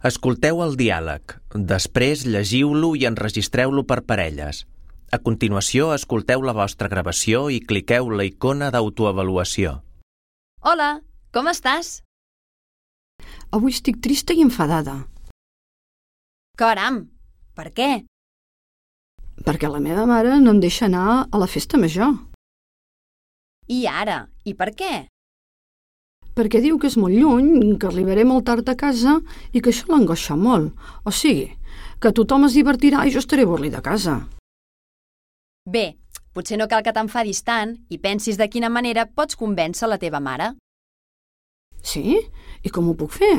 Escolteu el diàleg. Després llegiu-lo i enregistreu-lo per parelles. A continuació, escolteu la vostra gravació i cliqueu la icona d'autoavaluació. Hola, com estàs? Avui estic trista i enfadada. Caram, per què? Perquè la meva mare no em deixa anar a la festa major. I ara? I per què? Perquè diu que és molt lluny, que arribaré molt tard a casa i que això l'angoixa molt. O sigui, que tothom es divertirà i jo estaré avorrida a casa. Bé, potser no cal que t'enfadis tant i pensis de quina manera pots convèncer la teva mare. Sí? I com ho puc fer?